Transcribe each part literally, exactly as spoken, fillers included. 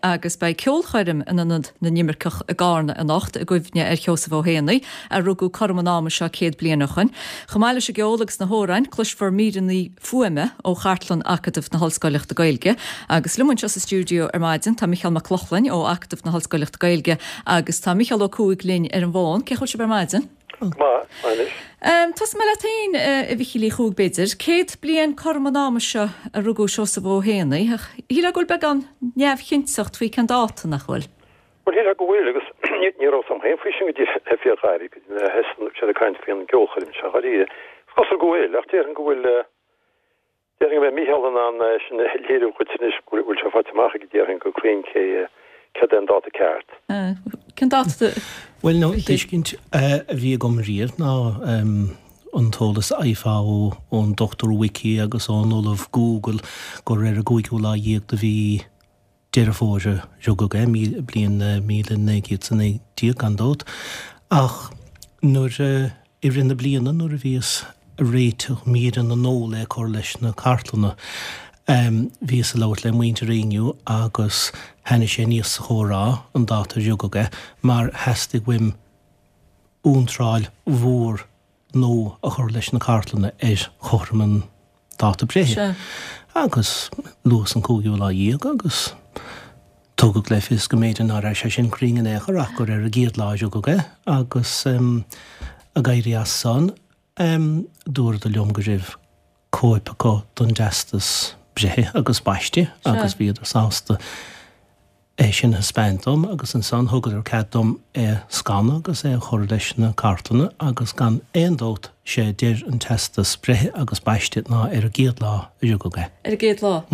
agus beidh ceolchoirm in Ionad na nImirceach i gCarna anocht i gcuimhne ar Sheosamh Ó hÉanaí a rugadh cothrom an ama seo céad bliain ó shin. Chomh maith leis an gceol agus na hamhráin, cloisfear míreanna fuaime ó chartlann Acadamh na hOllscoileachta Gaeilge agus liom anseo sa stiúideo ar maidin tá Micheál Mac Lochlainn ó Acadamh na hOllscoileachta Gaeilge agus tá Micheál Ó Cuaig linn ar an bhfón. Cén chaoi a bhfuil sibh ar maidin? Maith. Um, Tosóidh mé leat féin a Mhichíl Uí Chuaig b'fhéidir, céad bliain cothrom an ama seo a rugadh Seosamh Ó hÉanaí, ach shílfeá go bhfuil beagán neamhchinnteacht faoi cén dáta nach bhfuil. Well shílfeá go bhfuil agus ní raibh a fhios agam féin faoi sin go dtí le fíorghairid sé ag caint faoin gceolchoirm seo dáiríre. Is cosúil go bhfuil ach déarfainn go bhfuil déarfainn go mbeidh Micheál in ann sin a léiriú chuid anois go bhfuil sé faighte amach ag déarfainn go cruinn cé céard é an dáta ceart. Cén dáta Well no tuiscint a bhí agam riamh ná an t-eolas a fhaighfeá ón Dr Wiki agus ón Ollamh Google gur ar an gcúigiú lá dhéag de mhí Deireadh Fómhair a rugadh é bliain míle naoi gcéad a naoi déag gan dabht ach nuair i rith na bliana nuair a bhíos ag réiteach míreanna nua le cur leis na cartlanna. Um, bhíos ag labhairt le muintir Éinniú agus tháinig sé aníos sa chomhrá an dáta a rugadh é mar theastaigh uaim iontráil mhór nua a chur leis na cartlanna ar chothrom an dáta breithe. Agus luas an cúigiú lá dhéag agus tugadh le fios go mb'fhéidir nach raibh sé sin cruinn in aon chor ach gur ar an gcéad lá a rugadh é agus um, ag éirí as san um, dúradh liom go raibh cóip acu don teastas breithe agus baiste agus bhíodar sásta é sin a thaispeáint dom agus ansan thugadar cead dom é scanadh agus é a chur leis na cartlanna agus gan aon dabht sé deir an teastas breithe agus baiste ná ar an gcéad lá a rugadh é. Ar an gcéad lá?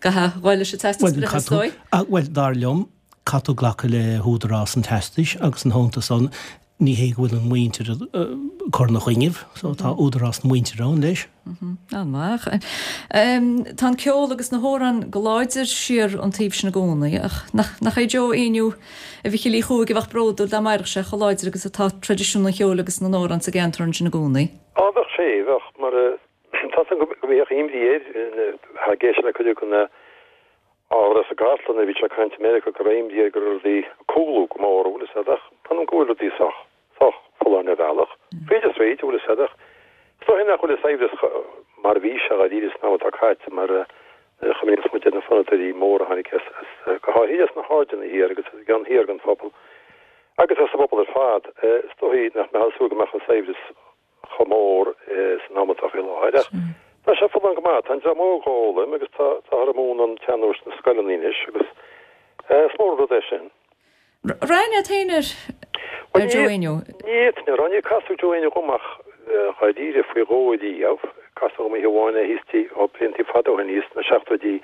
Gach bhfuil sé teastas breithe Well dar liom caithfidh tú glacadh le húdarás an teastais agus an hónta san ní hé go bhfuil an mhuintir cur na chuineh, so tá údarás na muintire ann leis. An-mhaith. Tá an ceol agus na hamhráin go láidir siar an taobh sin i gcónaí ach nach é Joe Éinniú a Mhichíl Uí Chuaig a bheadh bródúil dá mairfeadh sé chomh láidir agus atá traidisiún an cheoil agus na n-amhrán sa gceantar sin i gcónaí. Á bheadh sé bheadh mar tá go mbíodh imní air ag éisteacht le cuid na ábhar sa gcartlann a bhí sé caint Meiriceá go raibh imní air go raibh rudaí ag cúlú go mór bhfuil a fhios agat ach go bhfuil rudaí sách sách folláin ar bhealach. Fríd is fríd bhfuil a fhios agat ach is dóigh nach bhfuil an saibhreas mar a bhí sé dáiríre san am atá caite mar chuimhníonns muid ar na fonnadóirí móra a tháinig as go háirithe as na hAirdeanna thiar agus as an gceann thiar den phobal agus as an bpobal ar fad. Is dóigh nach mbeadh ag súil go mbeadh an saibhreas chomh mór san am atá faoi láthair ach tá sé folláin go maith. Tá an dream óg á fhoghlaim agus tá táthar ag múineadh an tsean-nóis sna scoileanna anois agus is mór an rud é sin. Raibh aithne agat féin ar ar Joe Éinniú? Ní fhéadfainn a rá, níor casadh Joe Éinniú dhom ach dháiríre faoi dhó riamh. Casadh dhom oíche amháin é thíos tí ó bliantaí fada ó shin thíos sna seachtóidí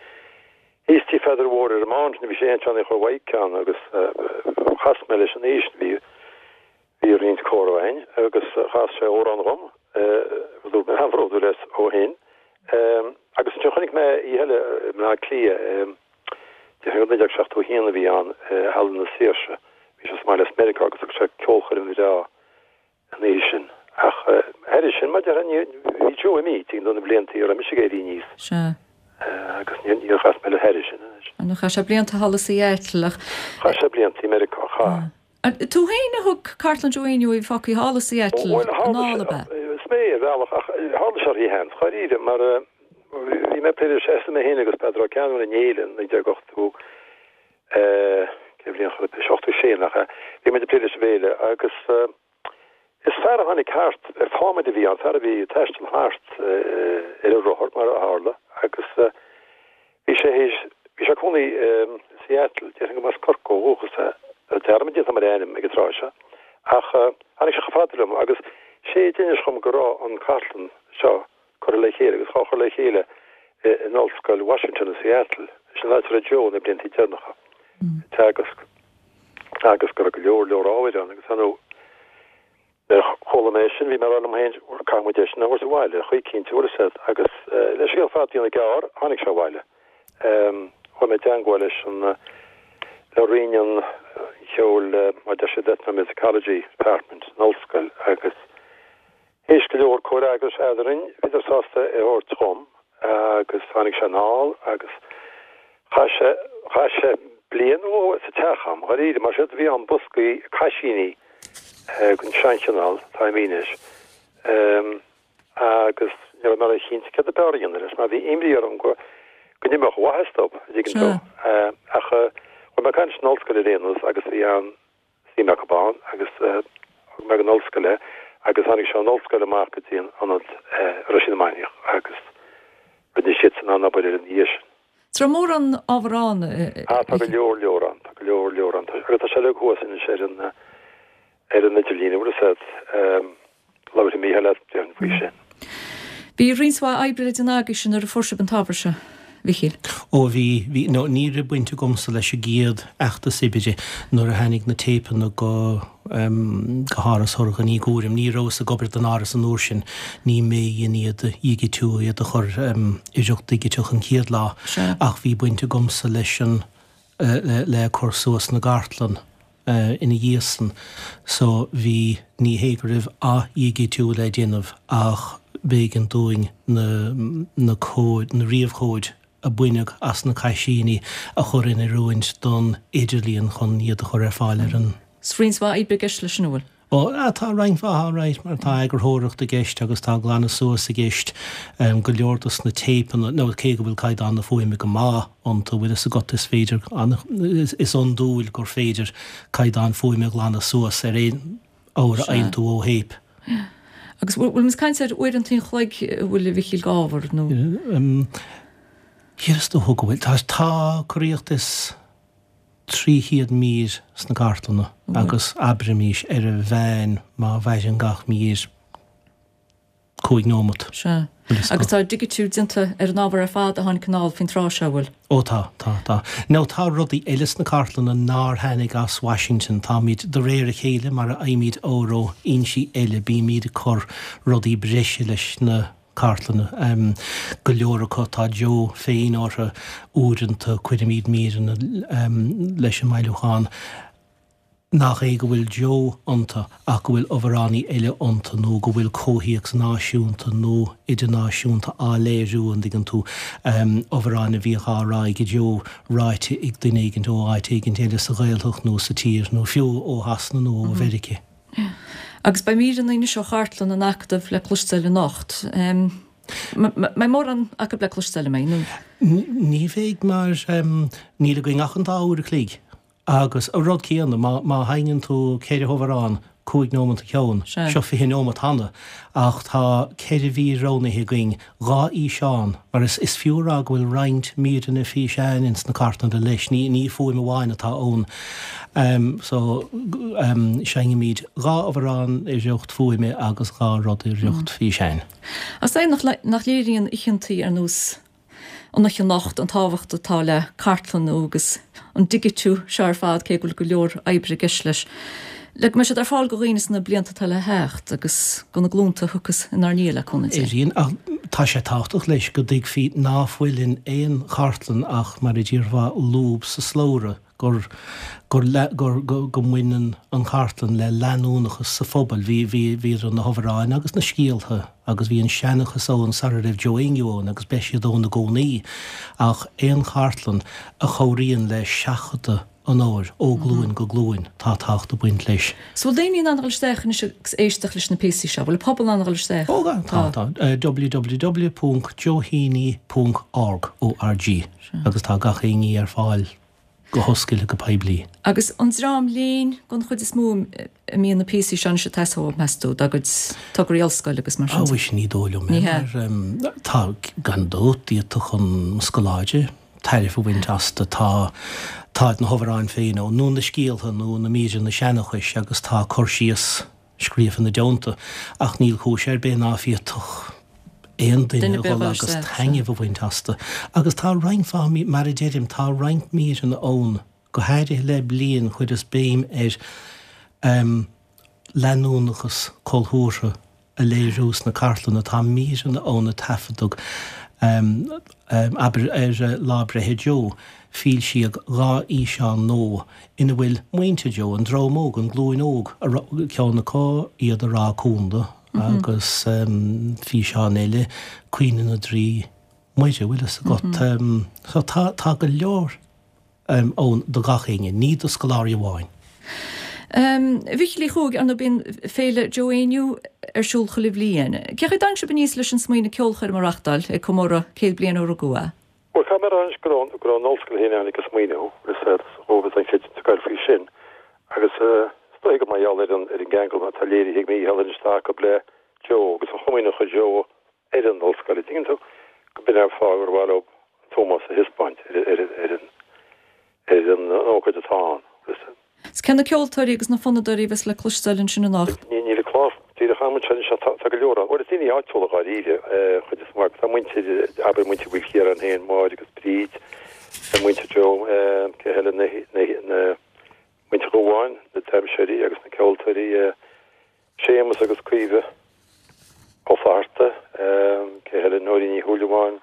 thíos tí Pheadair Mhóir ar an Mountain bhí sé féin Johnny Chóil Mhaidhc ann agus chas mé leis an oíche sin bhí bhí roinnt comhrá againn agus chas sé amhrán dhom dúirt mé an-bhródúil as ó shin. Agus ansin chonaic mé oíche eile i mBleá Cliath déarfainn naoi déag seachtó a haon a bhí ann i Halla na Saoirse. Bhí sé sa mbaile as Meiriceá agus thug sé ceolchoirm bhreá an oíche sin. Ach thairis sin, mar a déarfá, ní bhí Joe imithe tuigim do na blianta a raibh mise ag éirí aníos. Sea. Agus ní níor chas mé leis thairis sin anois. Nó chaith sé blianta thall i Seattle ach. Chaith sé blianta i Meiriceá, chaith. Tú féin a thug cartlann Joe Éinniú a bhí fágtha thall i Seattle anall, ab ea? Is mé ar bhealach ach tharla sé ar sheans, dháiríre, mar bhí mé ag plé leis mé féin agus Peadar Ó Ceannabháin in Éile in naoi déag ochtó cé bhliain chor ar bith, seachtó sé nach ea, bhí muid ag plé leis an bhféile agus is fear a tháinig thart ar fámaid a bhí ann, fear a bhí ag taisteal thart ar a rothar mar a tharla agus bhí sé théis, bhí sé ag cónaí i Seattle, déarfainn go mba as Corcaigh ó dhúchas é, tá dearmad déanta agam ar a ainm ag an tráth seo, ach tháinig sé chomh fada liom agus sé a d'inis dhom go raibh an cartlann seo curtha le chéile agus dhá chur le chéile in Ollscoil Washington i Seattle, sin an áit a raibh Joe na blianta deireanacha ag teagasc agus go raibh go leor leor ábhair ann agus ar ndóigh nuair a chuala mé sin bhí mé ag rá liom féin caithfidh muid é sin a thabhairt abhaile chaoi cinnte bhfuil a fhios agat agus le scéal fada a dhéanamh gearr tháinig sé abhaile. Chuaigh mé i dteangmháil leis an le Roinn an Cheoil mar deir siad Ethnomusicology Department san ollscoil agus Théis go leor comhfhreagrais eadrainn, bhíodar sásta é a thabhairt dhom agus tháinig sé anall agus chaith sé Chaith sé bliain nó dhó sa teach a'm, dháiríre, mar séard a bhí ann boscaí caisíní den seanchineál atá a'm anois. Agus ní raibh mé ró-chinnte céard a b'fhearr a dhéanamh leis, mar bhí imní orm go go n-imeodh an mhaitheas dóibh, an dtuigeann tú. Ach chuaigh mé ag caint leis an ollscoil ar aon nós agus bhí an-suim acu ann agus thug mé ag an ollscoil é agus tháinig sé ón ollscoil amach go dtí an ionad a raibh sé ina Mainiach agus rinne siadsan an-obair air ina dhiaidh sin. Is raibh mórán ábhar ann? Ah, tá go leor leor ann, tá go leor leor ann. Agus tá sé uilig thuas anois ar an ar an idirlíon, an bhfuil fhios a'd. Labharfaidh Mícheál leat, déarfainn, faoi sin. Bhí roinnt mhaith oibre le déanamh agaibhse nuair a fuair sibh an t-ábhar seo, Mhichíl. Ó bhí, bhí, no, ní raibh baint agamsa leis an gcéad fheachtas oibre nuair a tháinig na téipeanna go, go hÁras Thurghain Uí Ghuairim. Ní rabhas ag obair don Áras an uair sin, ní mé a dhein iad a dhigitiú, iad a chur i riocht digiteach an chéad lá. Ach bhí baint agamsa leis an, le, le cur suas na gcartlann ina dhiaidh san. So bhí, ní hé go raibh athdhigitiú le déanamh ach b'éigean dúinn na, na comhaid, na ríomhchomhaid a baineadh as na caisíní a chur in oiriúint don idirlíon chun iad a chur ar fáil ar an. 'S roinnt mhaith oibre i gceist leis sin, an bhfuil? Ó, tá roinnt mhaith, alright, mar tá eagarthóireacht i gceist agus tá glanadh suas i gceist. Go leor dos na téipeanna, nó cé go bhfuil caighdeán na fuaime go maith iontu, bhfuil fhios agat, is féidir, is iondúil gur féidir caighdeán fuaime a ghlanadh suas ar aon ábhar a fhaigheann tú ó théip. Agus bhfuil muid ag caint ar uaireanta an chloig, an bhfuil, a Mhichíl, d'ábhar nó? Is dócha go bhfuil. Tá, tá corraíocht is trí chéad mír sna cartlanna agus abraimís ar an mheán má mhaireann gach mír cúig nóimeat. Sea. Agus tá digitiú déanta ar an ábhar ar fad a tháinig anall faoin tráth seo, an bhfuil? Ó tá, tá, tá. Now tá rudaí eile sna cartlanna nár tháinig as Washington. Táimid, de réir a chéile, mar a fhaighimid ábhar ó fhoinsí eile, bímid ag cur rudaí breise leis na cartlanna. Go leor acu, tá Joe féin orthu. Uaireanta cuirimid míreanna leis an mbailiúchán. Nach é go bhfuil Joe iontu ach go bhfuil amhránaí eile iontu nó go bhfuil comhthéacs náisiúnta nó idirnáisiúnta á léiriú, an dtuigeann tú, amhráin a bhíodh á rá ag Joe ráite ag duine éigin ó áit éigin eile sa Ghaeltacht nó sa tír nó fiú ó Shasana nó ó Mheirice. Agus beidh míreanna anois ó chartlann an Acadaimh le cloisteáil anocht. Mbeidh mórán acu le cloisteáil, an mbeidh, nó? Ní bheidh mar níl againn ach an dá uair a chloig. Agus an rud céanna, má, má sheinneann tú ceithre hamhrán, cúig nóimeat an ceann, seo fiche nóimeat cheana, ach tá ceithre mhír roghnaithe againn, dhá fhíseán, mar is, is fiú a rá go bhfuil roinnt míreanna físeáin ins na cartlanna leis, ní, ní fuaim amháin atá ann. So, seinnimid dhá amhrán i riocht fuaime agus dhá rud i riocht físeáin. Is é nach, nach léiríonn oícheantaí ar nós an oíche anocht an tábhacht atá le cartlannú agus an digitiú seo ar fad, cé go bhfuil go leor oibre i gceist leis, le go mbeidh siad ar fáil do dhaoine sna blianta atá le theacht agus do na glúnta a thiocfas inár ndiaidh, le cúnamh Dé. Éiríonn, ach tá sé tábhachtach leis go dtuigfí ná fuil in aon chartlann ach, mar a déarfá, lúb sa slabhra. gur, gur, gur, go mbaineann an chartlann le leanúnachas sa phobal. Bhí, bhí, bhí idir na hamhráin agus na scéalta agus bhí an seanchas ann sara raibh Joe Aonghus ann agus beidh siad ann i gcónaí. Ach aon chartlann a chabhraíonn le seachadadh an ábhair ó ghlúin go glúin, tá tábhacht ag baint leis. So bhfuil daoine in ann a dhul isteach anois agus éisteacht leis na píosaí seo? Bhfuil an pobal in ann a dhul isteach? Ó, tá, tá. www ponc joeheaney ponc org, O-R-G, agus tá gach aon ní ar fáil. go hoscailte go poiblí. Agus an dream léinn den chuid is mó a mbíonn na píosaí seo anois ag teastáil uathu, meas tú, dá gcuid tograí ollscoile agus mar sin de? Á, mhuise, ní dóigh liom é, mar tá, gan dabht, d'fhéadfadh an scoláire tairbhe a bhaint astu. Tá, tá na hamhráin féin ann, nó na scéaltha, nó na míreanna seanchais agus tá cur síos scríofa ina dteannta, ach níl cúis ar bith ná féadfadh aon duine a dhul agus taitneamh a bhaint astu. Agus tá roinnt mhaith, mar a deirim, tá roinnt míreanna ann, go háirithe le bliain, chuireas béim ar leanúnachas cultúrtha a léiriú sna cartlanna. Tá míreanna ann a taifeadadh, abair, ar lá breithe Joe, foilsíodh dhá fhíseán nua ina bhfuil muintir Joe, an dream óg, an ghlúin óg, ceann acu iad ag rá cúnla agus físeán eile, Caoineadh na dTrí Muire, bhfuil fhios agat. So tá, tá go leor ann do gach éinne, ní do scoláirí amháin. A Mhíchíl Uí Chuaig, ar ndóigh bíonn Féile Joe Éinniú ar siúl chuile bhliain. Cén chaoi a dtáinig sibh aníos leis an smaoineamh ceolchoirm a reachtáil ag comóradh céad bliain ó rugadh é? Bhuel, caithfidh mé a rá anois go raibh go raibh an ollscoil féin ag an smaoineamh, is dhóibh an chreidiúint ag goil faoi sin. Agus is dóigh gur mar gheall ar an ar an gceangal atá léirithe ag Mícheál anois atá acu le Joe agus an chomaoin a chuir Joe ar an ollscoil, an dtuigeann tú, go b'in an fáth gur mhaith leo an t-ómós a thaispeáint ar ar ar an ar an ócáid atá ann. Is cé na ceoltóirí agus na fonnadóirí a bheas le cloisteáil ansin anocht? Níl an clár díreach agam anseo anois ach tá go leor ann. Bhuel, is daoine áitiúla dháiríre an chuid is mó acu. Tá muintir, abair, muintir Mhaoilchiaráin féin, Máire agus Bríd, muintir Joe, cé eile, na, na, na, muintir Dhubháin, na damhsóirí agus na ceoltóirí, Séamus agus Caoimhe Ó Flatharta, cé eile, Nóirín Ní Shúilleabháin,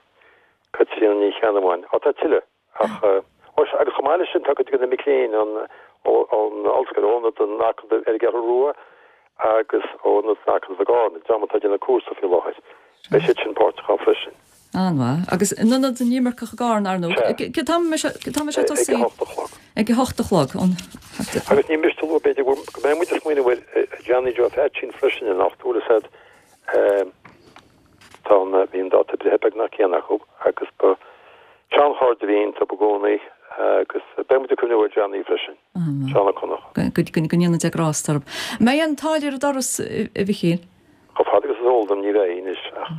Caitríona Ní Cheannabháin. Á, tá tuilleadh. Ach, agus chomh maith leis sin, tá cuid de na mic léinn ón ollscoil, ó Ionad an Acadaimh ar an gCeathrú Rua agus ó Ionad an Acadaimh i gCarna, dream atá ag déanamh cúrsa faoi láthair. Beidh siad sin páirteach ann freisin. An-mhaith. Agus in Ionad na nImirceach i gCarna, ar ndóigh. Cén t-am a mbeidh sé ag tosaí? Ag a hocht a chlog. Ag a hocht a chlog. Agus ní miste a lua, b'fhéidir, go mbeidh muid ag smaoineamh ar Johnny Joe Pheaitsín freisin anocht, bhfuil a fhios agat. Tá an, bhí an dáta breithe beagnach céanna acu agus ba seanchairde a bhí iontu i gcónaí agus beidh muid ag cuimhneamh ar Johnny freisin, Seán Ó Conchúir. Go ndéana Dia grásta orthu. An mbeidh aon táille ar an doras, a Mhichíl? Chomh fada agus is eol dom ní bheidh anois ach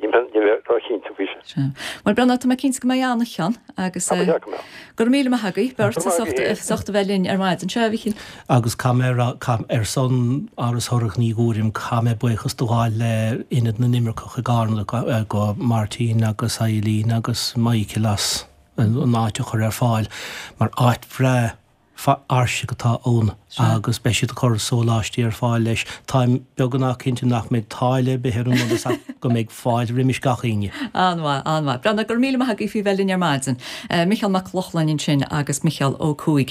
níl mé róchinnte faoi sin. Sea. Bhuel, Breandán, tá mé cinnte go mbeidh an-chion agus Tá, ba cheart go mbeadh. go raibh míle maith agaibh beirt as ucht a bheith linn ar maidin. Sea, a Mhichíl. Agus caithfidh mé a rá, ar son Áras Thorach Ní Ghuairim, caithfidh mé buíochas do ghabháil le Ionad na nImirceach i gCarna, go Martin agus Eileen agus Michael as an áit a chur ar fáil mar áit bhreá fhairsing atá ann agus beidh siad ag cur sóláistí ar fáil leis. Táim beagnach cinnte nach mbeidh táille ar bith ar an ndoras ach go mbeidh fáilte roimis gach éinne. An-mhaith, an-mhaith. Breandán, go raibh míle maith agaibh faoi bheith linn ar maidin. Micheál Mac Lochlainn ansin agus Micheál Ó Cuaig.